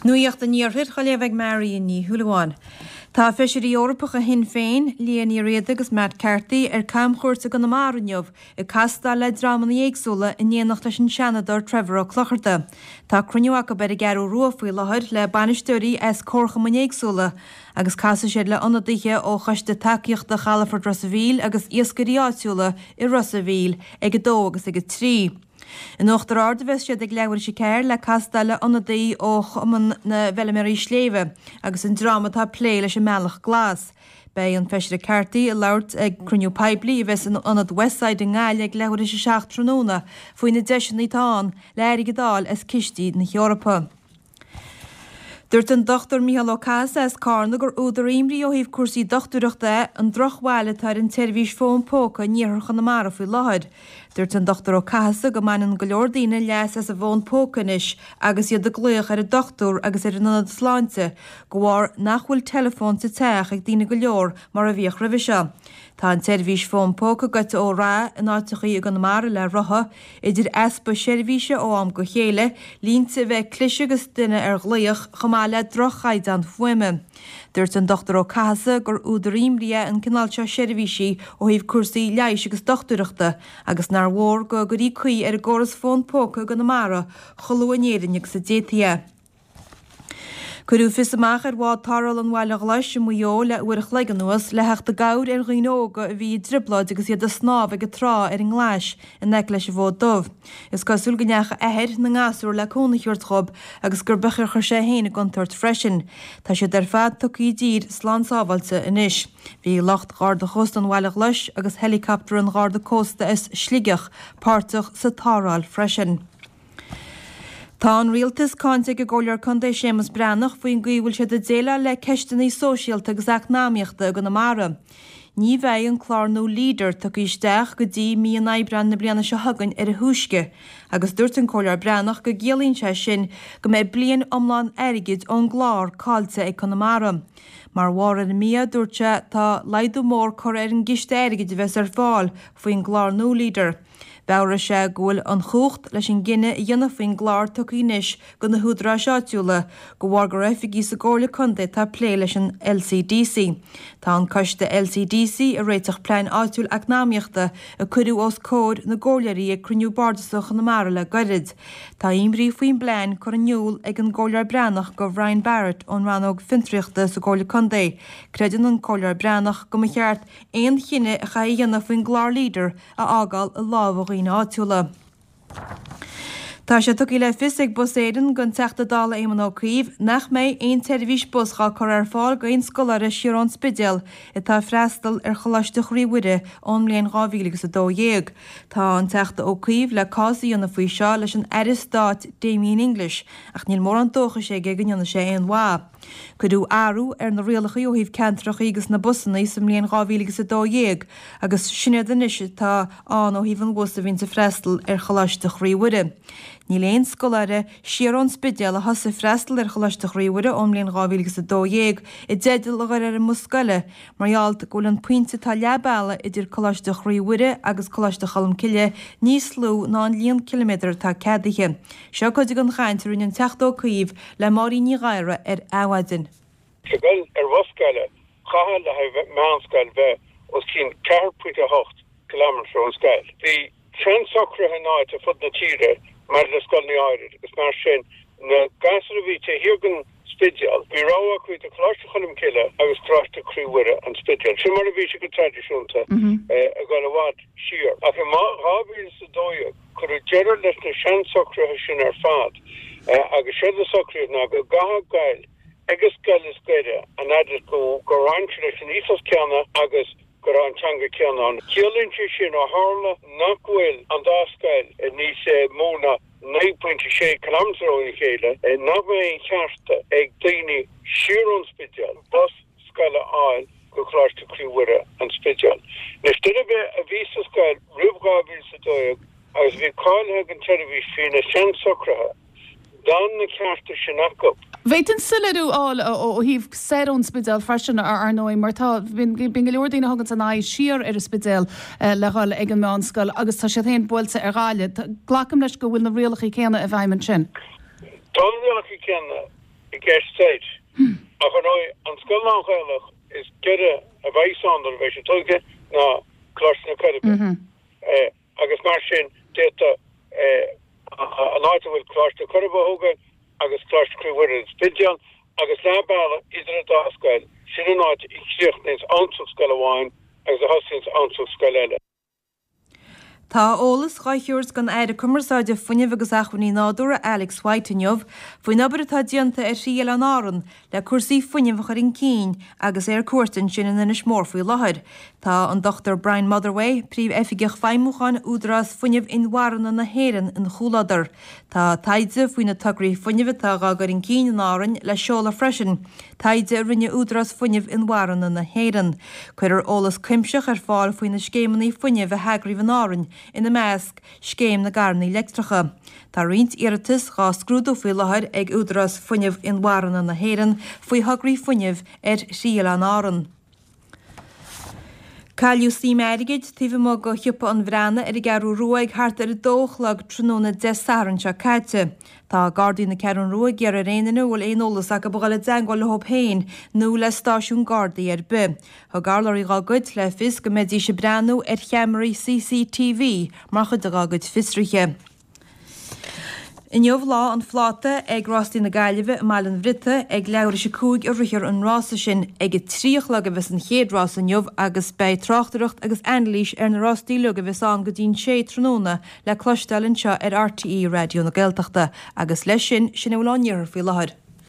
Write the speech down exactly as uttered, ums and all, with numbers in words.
Nuacht an Iarthair á léamh ag Marion Ní Shúilleabháin. Tá feisirí Eorpacha Shinn Féin, Liadh Ní Riada agus Matt Carthy ar camchuairt i gConamara inniu ag castáil le dreamanna éagsúla in éineacht leis an Seanadóir Trevor Ó Clochartaigh. Tá cruinniú acu ar an gCeathrú Rua faoi láthair le bainisteoirí as comharchumainn éagsúla agus casfaidh siad le ionadaithe ó Choiste Tacaíochta Chalafort Ros a' Mhíl agus iascairí áitiúla i Ros a' Mhíl ag a dó agus ag a trí. In Uachtar Ard a bheas siad ag leathuair tar éis a ceathair le castáil le ionadaí ó Chumann na bhFeilméaraí Sléibhe agus an dream atá ag plé leis an mBealach Glas. Beidh an Feisire Carthy ag labhairt ag cruinniú poiblí a bheas in ionad Westside i nGaillimh ag leathuair tar éis a seacht tráthnóna faoi na deiseanna atá ann le airgead a fháil as cistí na hEorpa. Dúirt an Dr Micheál Ó Cathasaigh as Carna gur údar imní ó thaobh cúrsaí dochtúireachta é an drochbhail atá ar an tseirbhís fón póca in iarthar Chonamara faoi láthair. Dúirt an Dr Ó Cathasaigh go mbaineann go leor daoine leas as an bhfón póca anois agus iad ag glaoch ar an dochtúir agus ar an ionad sláinte, de bharr nach bhfuil teileafón sa teach ag daoine go leor mar a bhíodh roimhe seo. Tá an tseirbhís fón póca goite ó rath in áiteachaí i gConamara le rotha, idir easpa seirbhíse ó am go chéile, línte a bheith ag cliseadh agus duine ar ghlaoch, chomh maith le droch-chaighdeán fuaime. Dúirt an Dr Ó Cathasaigh gur údar imní é an cineál seo seirbhísí ó thaobh cúrsaí leighis agus dochtúireachta agus nár mhór go gcuirí caoi ar an gcóras fón póca i gConamara chomh luath in Éirinn agus a d'fhéadfaí é. Cuireadh fios amach ar bhád tarrthála an Bhaile Ghlais i Maigh Eo le uair a chloig anuas le theacht i gcabhair ar dhaoine óga a bhí i dtrioblóid agus iad ag snámh ag an trá ar an nGlais in aice leis an bhFód Dubh. Is cosúil go ndeachaigh athair na ngasúr le cúnamh a thabhairt dhóibh agus gur b'fhéidir chuir sé féin i gcontúirt freisin. Tá siad ar fad tugtha i dtír slán sábháilte anois. Bhí lucht Gharda Chósta an Bhaile Ghlais agus helicopter an Gharda Cósta as Sligeach páirteach sa tarrtháil freisin. Tá an rialtas cáinte ag an gComhairleoir Contae Séamus Breathnach faoin gcaoi a bhfuil siad ag déileáil le ceisteanna sóisialta agus eacnamaíochta i gConamara. Ní bheidh an clár nua Leader tugtha isteach go dtí mí an Aibreáin na bliana seo chugainn ar a thúisce, agus dúirt an Comhairleoir Breathnach go gciallaíonn sé sin go mbeidh bliain iomlán airgid ón gclár caillte ag Conamara. Mar bharr ar an mí-ádh, dúirt sé, tá laghdú mór curtha ar an gciste airgid a bheas ar fáil faoin gclár nua Leader. Mheabhraigh sé go bhfuil an chumhacht leis an gcinneadh a dhéanamh faoin gclár tugtha anois do na húdaráis áitiúla, de bharr gur oifigigh sa gComhairle Contae atá ag plé leis an LCDC. Tá an coiste LCDC ag réiteach plean áitiúil eacnamaíochta a cuireadh os comhair na gcomhairleoirí ag cruinniú bardasach Chonamara le gairid. Tá imní faoin bplean curtha in iúl ag an gComhairleoir Breathnach do Bhrian Barrett ón rannóg fiontraíochta sa gComhairle Contae. Creideann an Comhairleoir Breathnach go mba cheart aon chinneadh a chaithfí a dhéanamh faoin gclár Leader a fhágáil i lámha dhaoine áitiúla. Tá sé tugtha le fios ag Bus Éireann don Teachta Dála Éamon Ó Cuív nach mbeidh aon tseirbhís bus dhá cur ar fáil d'aon scoláire siar ón Spidéal atá ag freastal ar Choláiste Chroí Mhuire ón mbliain dhá mhíle agus a dó dhéag. Tá an Teachta Ó Cuív le cás a dhéanamh faoi seo leis an Aire Stáit Damien English ach níl mórán dóchais aige go ndéanfaidh sé aon mhaith. Cuireadh athrú ar na rialacha ó thaobh ceantracha agus na busanna sa mbliain dhá mhíle agus a dó dhéag agus sin iad anois atá ann ó thaobh an bhus a bhíonns ag freastal ar Choláiste Chroí Mhuire. Níl aon scoláire siar ón Spidéal a thosaigh freastal ar Choláiste Chroí Mhuire ón mbliain dhá mhíle agus a dó dhéag i dteideal a dhul ar an mbus scoile mar gheall go bhfuil an pointe atá leath bealaigh idir Coláiste Chroí Mhuire agus Coláiste Cholmcille níos lú ná an líon ciliméadar atá ceadaithe. Seo cuid den chaint a rinne an Teachta Ó Cuív le Máirín Ní Ghadhra ar Adhmhaidin. Le dhul ar bhus scoile, chaithfeá le haghaidh meánscoil bheith os cionn ceathair pointe a hocht kilometre ón scoil. Bhí seansocruithe in áit ar fud na tíre maidir le scoileanna áirid agus mar sin na gasúir a bhí taobh thiar den Spidéal, bhí rogha acu idir Coláiste Cholm Cille agus Coláiste Chroí Mhuire, An Spidéal. Sin mar a bhí sé go traidisiúnta ag dul i bhfad siar. Ach i dhá mhíle is a dó dhéag cuireadh deireadh leis na seansocruithe sin ar fad agus séard a socraíodh ná go gcaithfeá goil ag an scoil is gaire an fhad is go gur bhain sé leis an ethos céanna agus go raibh an teanga céanna ann. Ciallaíonn sé sin ó tharla nach bhfuil an dá scoil níos mó ná naoi pointe sé kilometre óna chéile, nach mbeidh aon cheart ag daoine siar ón Spidéal bus scoile a fháil go Coláiste Chroí Mhuire, An Spidéal. Anois, duine ar bith a bhí sa scoil roimh dhá mhíle is a dó dhéag agus a bhí cáilithe don tseirbhís faoi na seansocruithe, d'fhan na cearta sin acu. Bhféadfainn soiléiriú a fháil ó thaobh soir ón Spidéal freisin, ar ndóigh, mar tá, bíonn go leor daoine a thuganns a n-aghaidh siar ar an Spidéal le dhul ag an meánscoil agus tá siad féin buailte ar Ghaillimh. Glacaim leis go bhfuil na rialacha céanna i bhfeidhm ansin. Tá na rialacha céanna i gceist soir. Ach ar ndóigh, an scoil lán-Ghaelach is giorra a bheidh ann nuair a bheidh sé tógtha ná Coláiste na Coiribe. Agus mar sin, d'fhéadfadh an áit a bhfuil Coláiste na Coiribe á thógáil agus Coláiste Chroí Mhuire an Spidéal agus leath bealaigh idir an dá scoil, sin an áit a chríochnaíonns an scoil amháin agus a thosaíonns an scoil eile. Tá eolas dhá thabhairt ag an Aire Cumarsáide, Fuinnimh agus Acmhainní Nádúrtha Alex White inniu faoin obair atá déanta ar thrí oileán Árann le cúrsaí fuinnimh a chur chun cinn agus é ar cuairt ansin in Inis Mór faoi láthair. Tá an Dochtúir Brian Motherway, Príomh-Oifigeach Feidhmiúcháin Údarás Fuinnimh Inmharthana na hÉireann ina chomhluadar. Tá taighde faoi na tograí fuinnimh atá dhá gcur chun cinn in Árainn le seoladh freisin, taighde a rinne Údarás Fuinnimh Inmharthana na hÉireann. Cuirfear eolas cuimsitheach ar fáil faoi na scéimeanna fuinnimh a heagraíodh in Árainn, ina measc, Scéim na gCarranna Leictreacha. Tá roinnt iarratas dhá scrúdú faoi láthair ag Údarás Fuinnimh Inmharthana na hÉireann faoi thograí fuinnimh ar thrí oileán Árann. Cailleadh suim airgid taobh amuigh de shiopa an Bhreathnaigh ar an gCeathrú Rua ag thart ar a dó a chlog tráthnóna Dé Sathairn seo caite. Tá Gardaí na Ceathrún Rua ag iarraidh ar aon duine a bhfuil aon eolas acu a dhul i dteagmháil leo féin nó le stáisiún Gardaí ar bith. Thug urlabhraí dá gcuid le fios go mbeidís ag breathnú ar cheamaraí C C T V mar chuid dá gcuid fiosruithe. Inniu lá an phláta ag Rástaí na Gaillimhe i mBaile an Bhriotaigh ag leathuair tar éis a cúig a rithfear an rása sin. Ag a trí a chlog a bheas an chéad rás inniu agus beidh tráchtaireacht agus anailís ar na rástaí uilig a bheas ann go dtí'n sé tráthnóna le cloisteáil anseo ar R T É Raidió na Gaeltachta agus leis sin sin a bhfuil ón iarthar faoi láthair.